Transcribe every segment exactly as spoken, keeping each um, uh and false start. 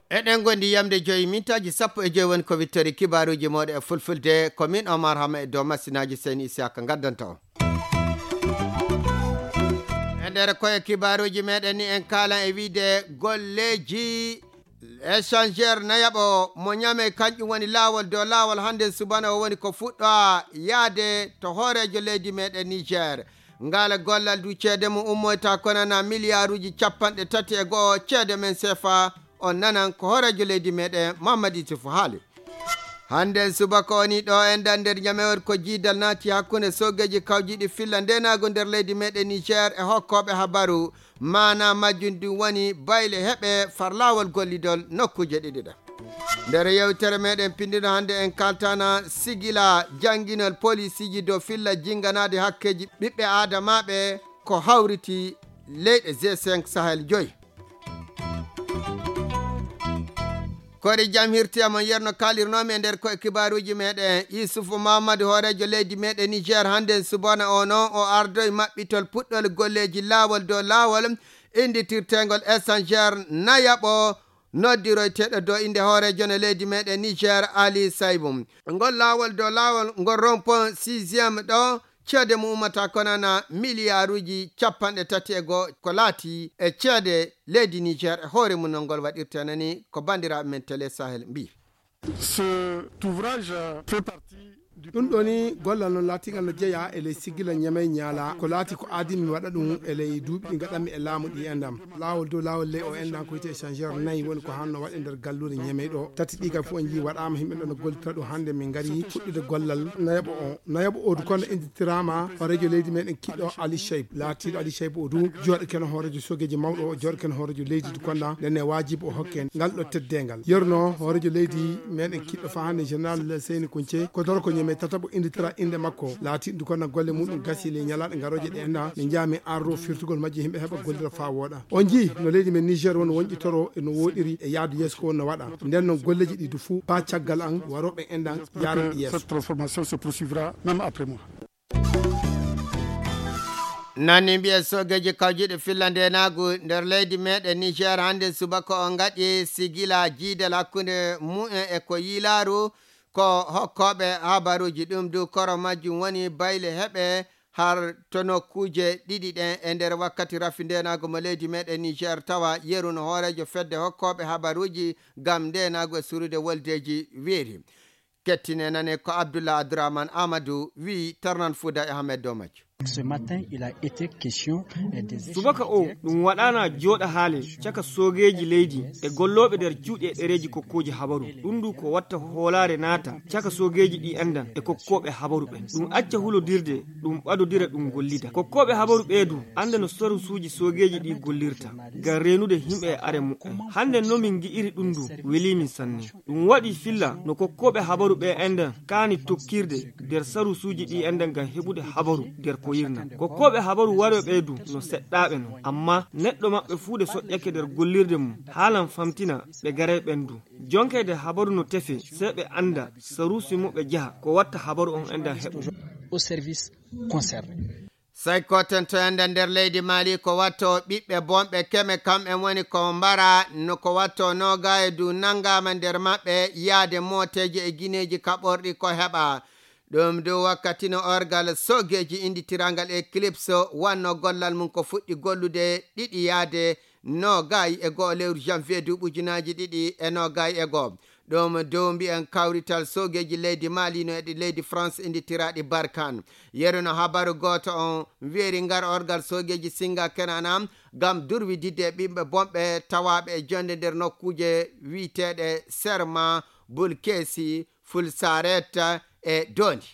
Eɗen gondi yamde joyi mintaaji sappo e joyi woni ko wittori kibaaruuji mooɗon e fulfulde. Ko min Omar Hama e dow masinaaji Seyni Isiyaka ngaddanta on. E nder koye kibaaruuji meɗen ni en kaalan e wiide golleeji échangeur nayaɓo mo Ñamey, kanƴum woni laawol dow laawol hannde subana o woni ko fuɗɗo yaade to hooreejo leydi meɗen Niger. Ngala gollal du ceede mum ummoyta konana miliyaaruuji capanɗe tati e go'o ceede men sefa. On nanan ko hooreejo leydi meɗen Mamadou Issoufou haali. Hannde subaka o ni ɗo en ɗan nder Ñamey ko jiidal naati hakkunde soogeeji kawjiiɗi filla ndeenaagu nder leydi meɗen Niger e hokkooɓe habaru. Maana majjum ɗum woni bayle heɓe farlaawol gollidol nokkuuje ɗiɗi ɗe. Nder yewtere meɗen pinndino hannde en kaltana sigila jannginol polisiiji dow filla jinnganaade hakkeeji ɓiɓɓe aadamaaɓe ko hawriti leyɗe G cinq Sahel joyi. Kori jam hirti amon yerno kalirnomi e nder koye kibaaruuji meɗen. Yusufu Mamadou hooreejo leydi meɗen Niger hannde subana o noon o ardoy maɓɓitol puɗɗol golleeji laawol dow laawol inditirtengol échangeur nayaɓo noddiroyteeɗo dow innde hooreejo no leydi meɗen Niger Ali Saibou. Ngol laawol dow laawol ngol rompon sixième ɗo ceede mum ummata konana miliyaaruuji capanɗe tati e go'o ko laati e ceede leydi Niger e hoore mum no ngol waɗirta nani ko banndiraaɓe men Télé Sahel mbi. Cet ouvrage fait partie du ɗum ɗo ni gollal no laatigal no jeeya e ley sigila Ñamey Ñaala ko laati ko aadi mi waɗa ɗum e ley duuɓi ɗi gaɗanmi e laamu ɗi endam. Laawol dow laawol ley o enɗan ko wiyte échangeur nayi woni ko hanno waɗe nder galluure Ñamey ɗo. Tati ɗi kam fof en njii waɗaama, yimɓe ɗo no gollitira ɗum. Hannde min ngari fuɗɗude gollal nayaɓo o. Nayaɓo o du kono inditiraama hooreejo leydi meɗen kiɗɗo Ali Cheyb. Laatiiɗo Ali Cheyb o du jooɗo keno hooreejo soogeeji mawɗo o, jooɗo keno hooreejo leydi du konda. Nden ne waajibi o hokke ngal ɗo teddeengal. Yerno hooreejo leydi meɗen kiɗɗo fa hannde général Seyni Kunce ko doro ko Ñamey tataɓo inditira innde makko. Laatiiɗo du kono golle muɗum gasi ley ñalaaɗe garooje ɗe enɗan. Min njaa min arro firtugol majji yimɓe heɓa gollira fa wooɗa. On njii no leydi men Niger woni wonƴitoro e no woɗiri e yaadu yeeso ko woni no waɗa. Nden noon golleeji ɗi du fuu ba caggal an warooɓe enɗan yaran ɗi yeeso. Cette transformation se poursuivra même après moi. Nani mbiye soogeeji kawjiiɗi filla ndenaagu nder leydi meɗen Niger hannde subaka o ngaɗi sigila jiidal hakkunde mumen e ko yiilaaru ko hokkooɓe habaruuji. Ɗum du koro majjum woni bayle heɓe har to nokkuuje ɗiɗi ɗen e nder wakkati rafi ndenaagu mo leydi meɗen Niger tawa yeru no hooreejo fedde hokkooɓe habaruuji ngam ndenaagu e surude woldeeji weeri. Kettine nane ko Abdullah Abdourahmane Amadou wi tarnan Fouda e Ahmed Domaj. Ce matin, il a été question, eh, des subaka o ɗum waɗana jooɗa haale caka soogeeji leydi e gollooɓe nder cuuɗi e ɗereeji kokkooji habaru. Ɗum du ko watta hoolaare naata caka soogeeji ɗi anndan e kokkooɓe habaru ɓen. Ɗum acca hulodirde, ɗum ɓadodira, ɗum gollida. Kokkooɓe habaru ɓee du annda no sarusuuji soogeeji ɗi gollirta ngam reenude yimɓe e are mumen. Hannde no min ngi'iri ɗum du welii min sanne. Ɗum waɗi filla no kokkooɓe habaru ɓe enɗan kaani tokkirde nder sarusuuji ɗi enɗan ngam heɓude habaru nder ko yirna. Kokkooɓe habaru warooɓe ɓe du no seɗɗaaɓe non. Amma neɗɗo maɓɓe fuu de soƴƴake nder gollirde mum haalan famtina ɓe garay ɓen du. Jonkayde habaru no tefe, sey ɓe annda saruusi mo ɓe jaha, ko watta habaru on enɗan heɓo. Au service concerné. Sey koten to enda nder leydi Mali ko watto ɓiɓɓe bonɓe keme kamɓe woni ko mbara no ko watto noogaaye du nanngaama nder maɓɓe yaade mooteeje e gineeji kaɓorɗi ko heɓa. Ɗum du wakkati no orgal soogeeji inditirangal Eclipse wanno gollal mum ko fuɗɗi gollude ɗiɗi yaade noogaayi e go'o lewru janvier duuɓi ujunaaji ɗiɗi e noogaayi e go'o. Ɗum dow mbiyen kawrital soogeeji leydi Mali no e ɗi leydi France inditiraaɗi Barkan. Yeru no habaru gooto on weeri ngar orgal soogeeji Singa Kenana ngam durwididde e ɓiɓɓe bonɓe tawaaɓe e jonde nder nokkuuje wi'eteeɗe Serma, Bulkesi, Fulsaret e Dondi.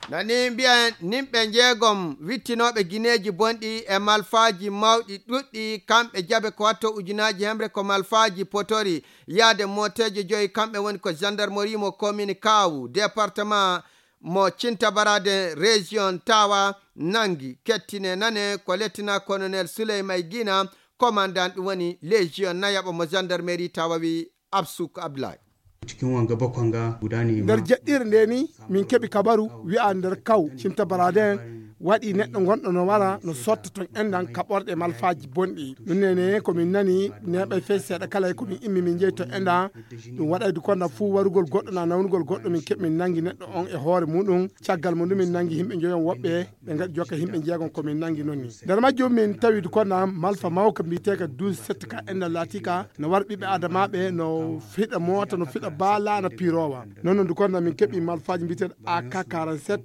Nani mbiyen nimɓe njeegom wittinooɓe gineeji bonɗi e malfaaji mawɗi ɗuɗɗi, kamɓe jaɓe ko watto ujunaaji hemre ko malfaaji potori yaade mooteeje joyi, kamɓe woni ko gendarmerie mo commune Kaawu, département mo Cintabaraden, région Tawa nangi. Kettine nane ko lieutenant colonel Souleymay Gina, commandant ɗum woni légion nayaɓo mo gendarmerie Tawa wi Absouk Abdoulaye. Cikin wanga bakon ga guda ne. Nder jeɗɗire nde ni, min keɓi kabaru wi'a nder kaw Cimta Baraden waɗi neɗɗo gonɗo no wara no sotta ton enɗan kaɓorɗe malfaaji bonɗi. Ɗum ne ne ko min nani neɓay fey seeɗa kala ko min immi min jeyi ton enɗan. Ɗum waɗay du konda fuu warugol goɗɗo na nawnugol goɗɗo, min keɓi min nangi neɗɗo on e hoore muɗum. Caggal mo ɗum min nangi yimɓe njoyon woɓɓe ɓe ngaɗi jokka yimɓe jeegon ko min nangi non ni. Nder majjum min tawi du konda malfa mawka mbiyeteeka douze sept ka enɗan laatika no war ɓiɓɓe adamaaɓe no fiɗa moota no fiɗa baala na pirowa. Non non du konda min keɓi malfaaji mbiyeteeɗo A K quarante-sept.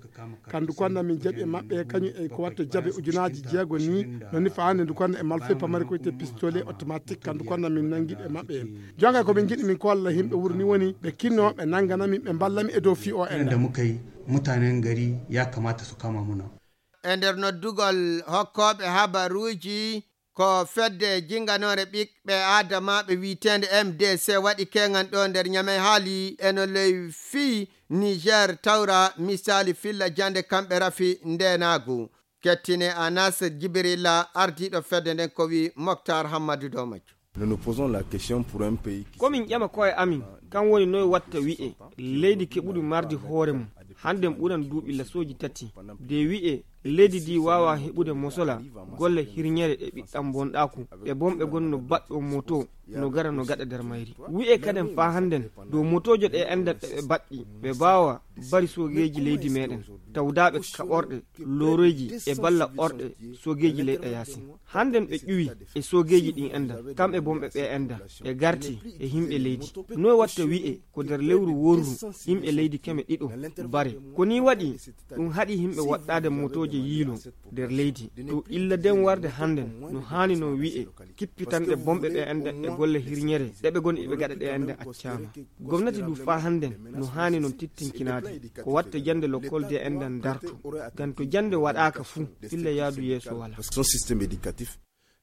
Kandu konda min jaɓi e maɓɓe kañum e ko watta jaɓe ujunaaji jeego ni. Non ni faande du konda e malfay pamari ko wiyetee pistolet automatique kandu konda min nangi e maɓɓe. Jonga ko min jiɗi min kolla yimɓe wuro ni woni ɓe kinno ɓe nangana min ɓe mballa mi e dow fi o en. Da muka yi mutanen gari ya kamata su kama muna. E nder noddugol hokkooɓe habaruuji, ko fedde jinganoore ɓiɓɓe aadamaaɓe wiyeteende M D C waɗi keŋan ɗo nder Ñamey haali eno ley fii Niger tawra misaali filla jannde kamɓe rafi ndeenaagu. Kettine Anas Jibrilla ardiiɗo fedde nden ko wii Moktar Hammadu Domaj. Nous nous posons la question pour un pays qui komin ƴama koye amin kan woni noye watta wi'e leydi keɓuɗi mardi hoore mum hannden ɓuran duuɓi lasooji tati de wi'e leydi ndi waawa heɓude mosola golle hirñere e ɓiɗɗam bonɗaaku ɓe bonɓe gon no baɗɗo moto no gara no gaɗa nder mayri wi'e kaden faa hannden dow motoojo ɗe anndan ɗe ɓe baɗɗi ɓe baawa bari soogeeji leydi meɗen tawdaaɓe kaɓorɗe looroyji e balla orɗe soogeeji leyɗe yaasin hannden ɓe ƴuwi e soogeeji ɗin enɗan kamɓe bonɓe ɓe enɗan ɓe garti e yimɓe leydi noye watta wi'e ko nder lewru worru yimɓe leydi keme ɗiɗo bare ko ni waɗi ɗum haɗi yimɓe waɗɗaade motooje yiilo nder leydi to illa den warde hannden no haani non wi'e kippitanɗe bonɓe ɓe enɗan e golle hirñere ɗe ɓe goni ɓe gaɗa ɗe enɗan accaama gomnati du faa hannden no haani non tittinkinaade ko watta jannde lokkol de enɗan darto ngam to jannde waɗaaka fuu filla yaadu yeeso wala.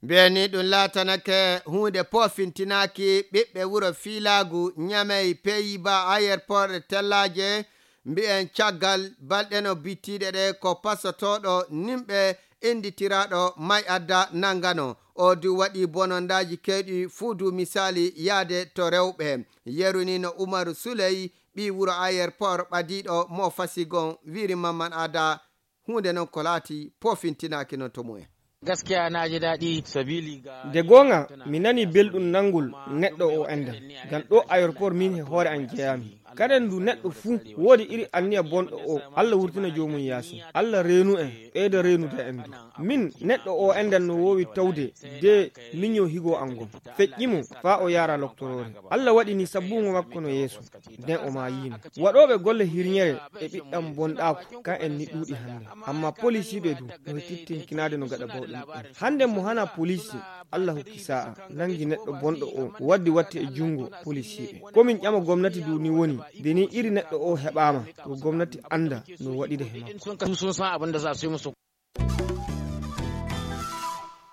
Mbiyanii ɗum laatanake huunde poofintinaaki ɓiɓɓe wuro fiilaagu Ñamey peyiba ayerport tellaaje mbiyen caggal balɗe no bittiiɗe ɗe ko pasotooɗo nimɓe innditiraaɗo may adda nanngano o du waɗi bonondaaji keewɗi fuu du misaali yahde to rewɓe yerunino Umaru Suley ɓii wuro ayerport ɓadiiɗo mo fasigon wiiri mamman aada huunde noon ko laati poofintinaaki noon to mumen. Gaskiya na ji daɗi sabili ga nde goonga mi nani belɗum nanngol neɗɗo o enɗan ngam ɗo aéroport min he hoore an jeyaami kaden ndu neɗɗo fuu woodi iri anniya bonɗo o allah wurtina joomum yaasi allah reenu en ɓeyda reenude en ndu min neɗɗo o enɗan no woowi tawde de miño higo an ngon feƴƴi mo faa o yaara loktoroore allah waɗi ni sabbugo makko no yeeso nden o maayino waɗooɓe golle hirñere e ɓiɗɗam bonɗaaku kan en ni ɗuuɗi hannde amma polisiiɓe du no tittinkinaade no gaɗa bawɗe muɓɓen hannde mo hana polisi allah hokki sa'a nangi neɗɗo bonɗo o waddi watti e junngo polisiiɓe komin ƴama gomnati du ni woni nde ni iri neɗɗo o heɓaama to gomnati annda no waɗide he makko.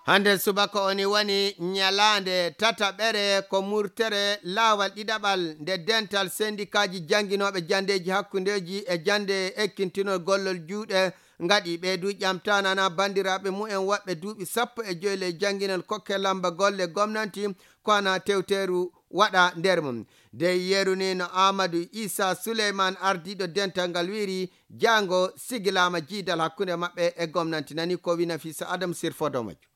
Hannde subaka oni woni ñalaande tataɓere ko murtere laawal ɗiɗaɓal nde dental sendikaaji jannginooɓe janndeeji hakkundeeji e jannde ekkintinol gollol juuɗe ngaɗi ɓee du ƴamtaanana banndiraaɓe mumen waɗɓe duuɓi sappo e joyi ley jannginol kokke lamba golle gomnanti ko ana tewteeru waɗa nder mum dey yerunino amadou issa souleyman ardiiɗo dental ngal wiiri jaango sigilaama jiidal hakkunde maɓɓe e gomnanti nani ko wina fisa adam sirfodo majju.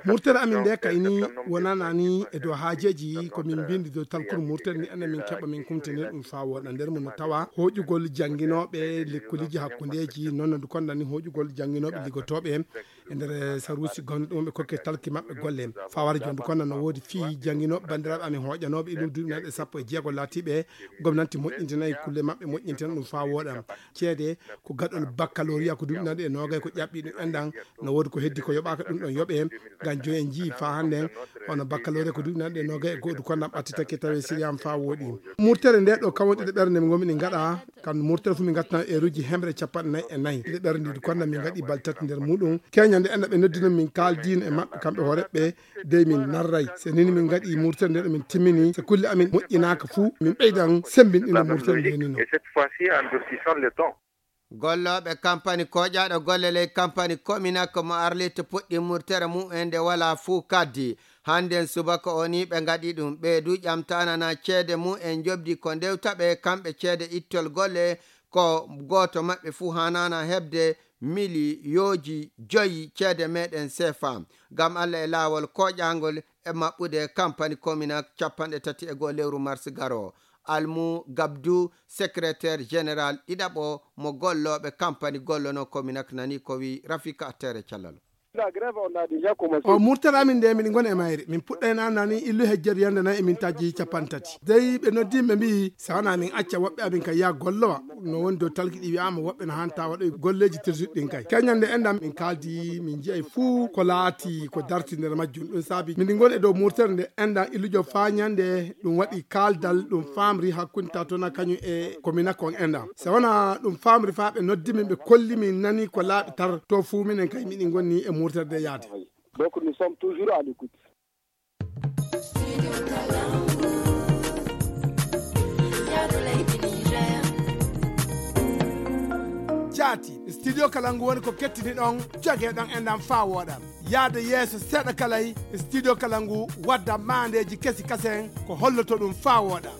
Murtere amin nde kayni wonanani e dow haajeji ko min mbindi dow talkuru murtere ni enen min keɓa min kumtini ɗum faa woɗa nder mum no tawa hoƴugol jannginooɓe lekkoliji hakkundeji noon no kondani hoƴugol jannginooɓe liggotooɓe e nder saruusi gonɗo ɗum ɓe kokke talki maɓɓe golle fawara jooni kono no woodi fii jannginooɓe banndiraaɓe amin hoƴanooɓe e ɗum duuɓi nanɗe sappo e jeego laatiiɓe gomnanti moƴƴintinayi kulle maɓɓe moƴƴintina ɗum faa wooɗa ceede ko gaɗol baccalauréat ko duuɓi nanɗe e noogay ko ƴaɓɓi ɗum enɗan no woodi ko heddi ko yoɓaaka ɗum ɗon yoɓe ngam joyi en njii faa hannden hono baccalauréat ko duuɓi nanɗe e noogay e go'odu kono ɓattitake tawi siriyama faa wooɗi murtere nde ɗo kawonɗe ɗe ɓernde mi ngomi ɗi ngaɗa Kamɓe murtere fof min ngattanoo eeruuji hemre capanɗe nayi e nayi ɗiɗi ɓerndiiɗi kono min ngaɗii balɗe tati nder muuɗum keñande enɗa ɓe nodduno min kaaldiino e maɓɓe kamɓe hooreeɓe ɓe dey min narray so nini min ngaɗii murtere nde ɗo min timmini so kulle amin moƴƴinaaka fuu min ɓeydan semmbinɗinde murtere nde nino. Gollooɓe kampani kooƴaaɗo golle ley kampani kominak mo arlita puɗɗi murtere mum en nde walaa fuu kaddi. Hannden subaka o ni ɓe ngaɗi ɗum. Ɓee du ƴamtaanana ceede mum en njoɓdi ko ndewta ɓe kamɓe ceede ittol golle, ko gooto maɓɓe fuu haanaana heɓde miliyooji joyi ceede meeɗen sefa. Ngam Alla e laawol kooƴaangol e maɓɓude kampani Kominak capanɗe tati e goo lewru mars garoo. Almu Gabdu, secrétaire général ɗiɗaɓo mo gollooɓe kampani gollono Kominak nani ko wi Rafika Tere Calal. O murtata amin nde miɗen ngoni e mayre, min puɗɗay nana ni illu hejjeru yande nayi e mintaji capanɗe tati. Dey ɓe noddi ɓe mbi'i si wona min acca woɓɓe amin ka yiya gollowa. No woni dow talki ɗi wi'ama woɓɓe no hanta waɗoy golleji tirsuɗi ɗin kay. Keñal nde enɗan min kaldi min ji'ay fuu ko laati ko darti nder majjum. Ɗum saabi miɗen ngoni e dow murtere nde enɗan illujo faa ñande ɗum waɗi kaldal ɗum famri hakkunde tatona kañum e Kominak on enɗan. Si wona ɗum famri faa ɓe noddi min ɓe kolli min nani ko laaɓi tar to fuu minen kay miɗen ngoni e murtere nde yaade. Donc nous sommes toujours à l'écoute. Jaati, studio kala ngu woni ko kettini ɗon joge ɗon enɗan faa wooɗa. Yaade yeeso seeɗa kalay, studio kala ngu wadda maandeeji kesi kasen ko holloto ɗum faa wooɗa.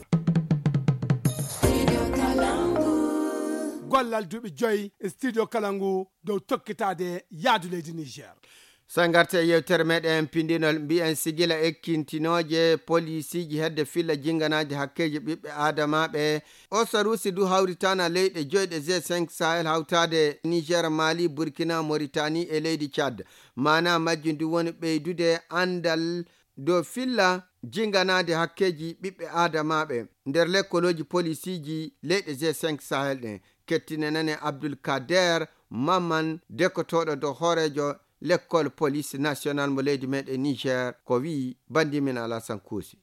Gollal duuɓi joyi studio kala ngu dow tokkitaade yaadu leydi Niger. So en ngartii e yewtere meɗen pindinol, mbiyen sigila ekkintinooje polisiiji hedde filla jinganaaji hakkeeji ɓiɓɓe aadamaaɓe. O saruusi du hawritaana leyɗe joyɗe G cinq Sahel hawtaade Niger, Mali, Burkina, Mauritanie e leydi Tchad. Maana majjum du woni ɓeydude anndal dow filla jinganaade hakkeeji ɓiɓɓe aadamaaɓe nder lekkolooji polisiiji leyɗe G cinq Sahel ɗen. Kettinen nane Abdul Kader Maman, dekkotooɗo dow hooreejo lekkol police national mo leydi meɗen Niger, ko wi'i bandi min Alasan Kuusi.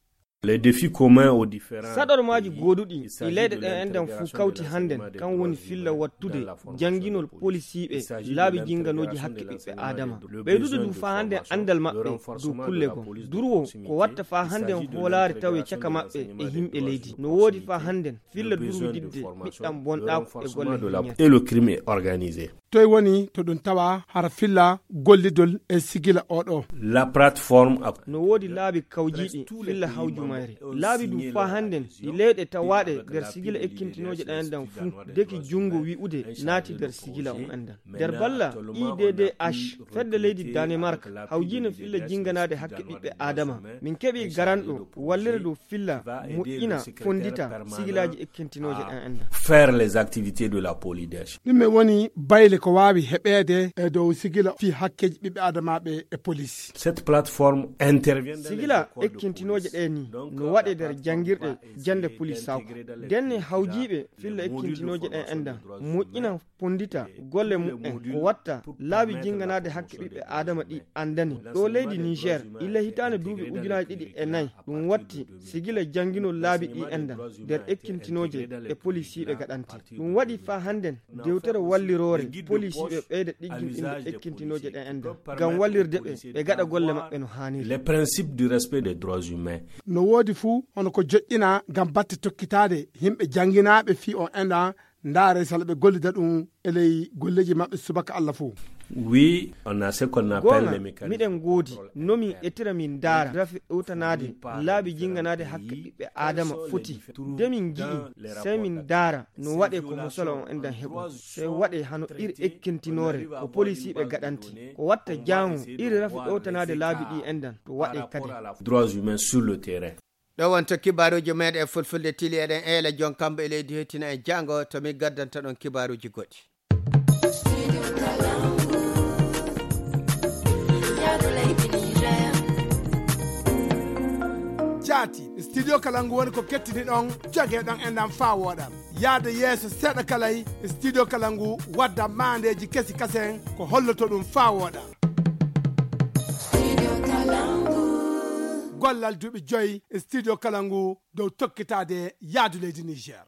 Les défis communs aux différents Saɗormaaji gooduɗi ɗi leyɗe ɗen enɗan fuu kawti hannden, kan woni filla wattude jannginol polisiiɓe laabi jinganooji hakke ɓiɓɓe aadama. Ɓeydude du faa hannden anndal maɓɓe dow kulle goo. Durwo ko watta faa hannden hoolaare tawe caka maɓɓe e yimɓe leydi. No woodi faa hannden filla durwididde ɓiɗɗan bonɗaaku e golle hiññere. Et le crime est organisé. Toy woni to ɗum tawa hara filla gollidol e sigila oɗo. La plateforme a No woodi laabi kawjiiɗi filla hawjumayre. Laabi du faa hannden ɗi leyɗe tawaaɗe nder sigila ekkintinooje ɗan enɗan fuu deki junngo wi'ude naati nder sigila on enɗan. Nder balla I D D H, fedde leydi Danemark hawjiino filla jinganaade hakke ɓiɓɓe aadama. Min keɓii garanɗo wallira dow filla moƴƴina fonndita sigilaaji ekkintinooje ɗan enɗan. Faire les activités de la police. Ɗum e woni bayle ko waawi heɓeede e dow sigila fii hakkeeji ɓiɓɓe aadamaaɓe e polis. Cette plateforme intervient dans les Sigila écoles de ekkintinooje police. Ɗee ni no waɗe nder janngirɗe jannde polis sawka. Denne hawjiiɓe filla ekkintinooje ɗen enɗan moƴƴina fonndita golle mumen ko watta laabi jinganaade hakke ɓiɓɓe aadama ɗi anndani ɗo leydi Niger illa hitaande duuɓi ujunaaji ɗiɗi e nayi. Ɗum watti sigila jannginol laabi ɗi enɗan nder ekkintinooje e polisiiɓe gaɗante. Ɗum waɗi faa hannden dewtere walliroore polisiiɓe ɓeyda ɗigginɗinde ekkintinooje ɗen enɗan ngam wallirde ɓe ɓe gaɗa golle maɓɓe no haaniri. Les principes du respect des droits humains. No woodi fuu hono ko joƴƴina ngam batte tokkitaade yimɓe jannginaaɓe fii on enɗan ndaare sala ɓe gollida ɗum e ley golleeji maɓɓe subaka Alla fof. Oui, on a ce qu'on appelle Goonga, les mécanismes. Miɗen ngoodi no min etira min ndaara rafi ɗowtanaade laabi jinnganaade hakke ɓiɓɓe aadama foti. Nde min ngi'i, sey min ndaara no waɗee ko musala on enɗan heɓo. Sey waɗee hano iri ekkintinoore ko polisiiɓe gaɗanti. Ko watta jaango iri rafi ɗowtanaade laabi ɗi enɗan to waɗee kadi. Droits humains sur le terrain. Ɗo wonto kibaaruuji meeɗen e fulfulde tili, eɗen eela jon kambo e leydi hoytina en jaango to min gaddanta ɗon kibaaruuji goɗɗi. Jaati, studio kala ngu woni ko kettini ɗon joge ɗon enɗan faa wooɗa. Yaade yeeso seeɗa kalay, studio kala ngu wadda maandeeji kesi kasen ko holloto ɗum faa wooɗa. Gollal duuɓi joyi studio kala ngu dow tokkitaade yaadu leydi Niger.